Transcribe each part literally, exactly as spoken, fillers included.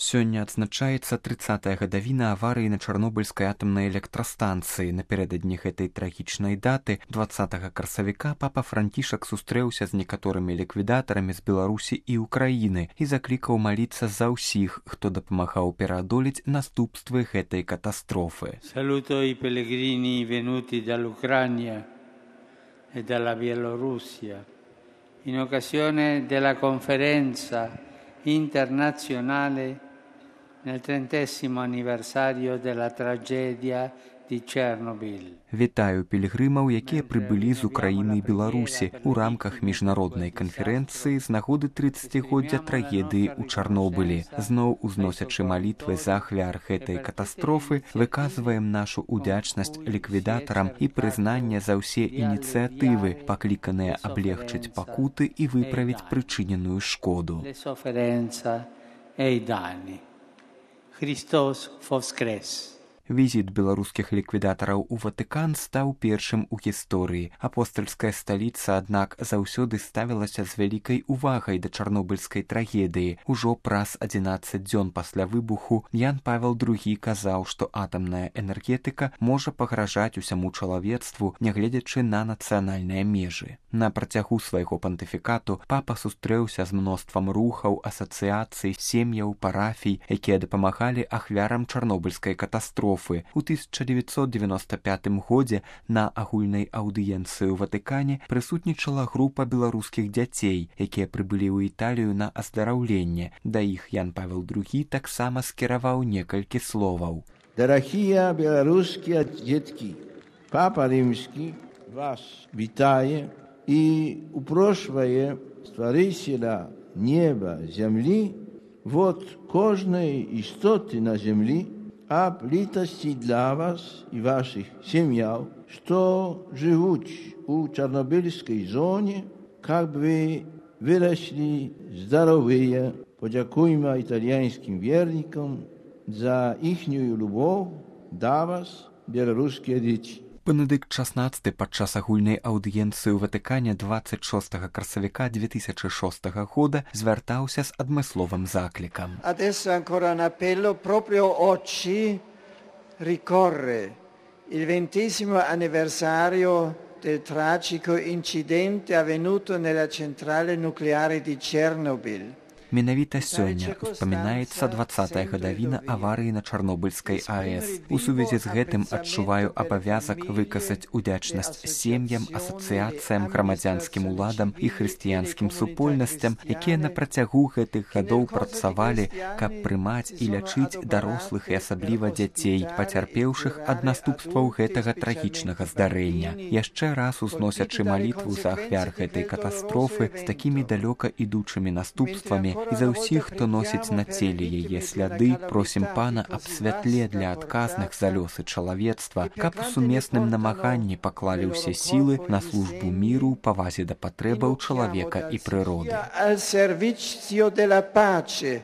Сёння адзначаецца трыццатая гадавіна аварыі на Чарнобыльскай атамнай электрастанцыі. Напярэдадні гэтай трагічнай даты дваццатага красавіка папа Францішак сустрэўся з некаторымі ліквідатарамі з Беларусі і Украіны і заклікаў маліцца за ўсіх, хто дапамагаў пераадолець наступствы гэтай катастрофы. Saluto i pellegrini venuti dall'Ucraina e dalla Bielorussia in occasione della conferenza internazionale nel trentesimo anniversario della tragedia di Chernobyl. Вітаю пілігрымаў, якія прыбылі з Украіны і Беларусі ў рамках міжнароднай канферэнцыі з нагоды трыццацігоддзя трагедыі ў Чарнобылі. Зноў узносячы малітвы за ахвяр гэтай катастрофы, выказваем нашу удзячнасць ліквідатарам і прызнанне за ўсе ініцыятывы, пакліканыя аблегчыць пакуты і выправіць прычыненую шкоду. Христос воскрес! Візіт беларускіх ліквідатараў у Ватыкан стаў першым у гісторыі. Апостальская сталіца, аднак, заўсёды ставілася з вялікай увагай да чарнобыльскай трагедыі. Ужо праз адзінаццаць дзён пасля выбуху Ян Павел другі казаў, што атамная энергетыка можа пагражаць усяму чалавецтву, нягледзячы на нацыянальныя межы. На працягу свайго пантыфікату папа сустрэўся з мноствам рухаў, асацыяцый, сем'яў, парафій, якія дапамагалі ахвярам чарнобыльскай катастрофы. У тысяча дзевяцьсот девяносто пятым годзе на агульнай аўдыенцыі ў Ватыкане прысутнічала група беларускіх дзяцей, якія прыбылі ў Італію на аздараўленне. Да іх Ян Павел другі таксама скіраваў некалькі словаў. Дарахія беларускія дзеткі, папа рымскі вас вітае і упрошвае стварыцеля неба, зямлі, вот кожнай істоты на зямлі, об літасці для вас і ваших сім'яў, што жывуць у чарнобыльскай зоне, каб вы выраслі здаровыя. Подякуйма італьянскім вернікам за іхнюю любоў да вас, беларускія дзеці. Бенедыкт шаснаццаты падчас агульнай аўдыенцыі ў Ватыкане дваццаць шостага красавіка две тысячы шостага года звяртаўся з адмысловым заклікам. Adesso ancora un appello, proprio oggi ricorre il ventesimo anniversario del tragico incidente avvenuto nella centrale nucleare di Chernobyl. Менавіта сёння успамінаецца дваццатая гадавіна аварыі на Чарнобыльскай АЭС. У сувязі з гэтым адчуваю абавязак выказаць удзячнасць сем'ям, асацыяцыям, грамадзянскім уладам і хрысціянскім супольнасцям, якія на працягу гэтых гадоў працавалі, каб прымаць і лячыць дарослых і асабліва дзяцей, пацярпеўшых ад наступстваў гэтага трагічнага здарэння. Яшчэ раз узносячы малітву за ахвяр гэтай катастрофы з такімі далёка ідучымі наступствамі, і за ўсіх, хто носіць на целе яе сляды, просім пана аб святле для адказных за лёсы чалавецтва, каб у сумесным намаганні паклалі ўсе сілы на службу міру, павазе да патрэбаў чалавека і прыроды. Al servizio della pace,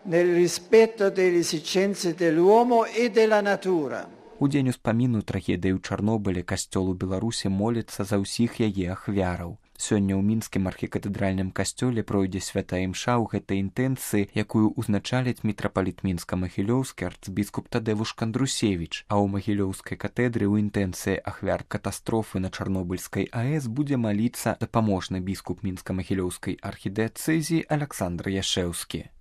nel rispetto delle esigenze dell'uomo e della natura. У дзень успаміну трагедыі ў Чарнобылі касцёл у Беларусі моліцца за ўсіх яе ахвяраў. Сёння ў мінскім архікатэдральным касцёле пройдзе святая імша ў гэтай інтэнцыі, якую ўзначаліць мітрапаліт мінска-магілёўскі арцбіскуп Тадевуш Кандрусевіч, а ў магілёўскай катедры ў інтэнцыі ахвяр катастрофы на Чарнобыльскай АЭС будзе маліцца дапаможны біскуп мінска-магілёўскай архідыяцэзіі Аляксандр Яшэўскі.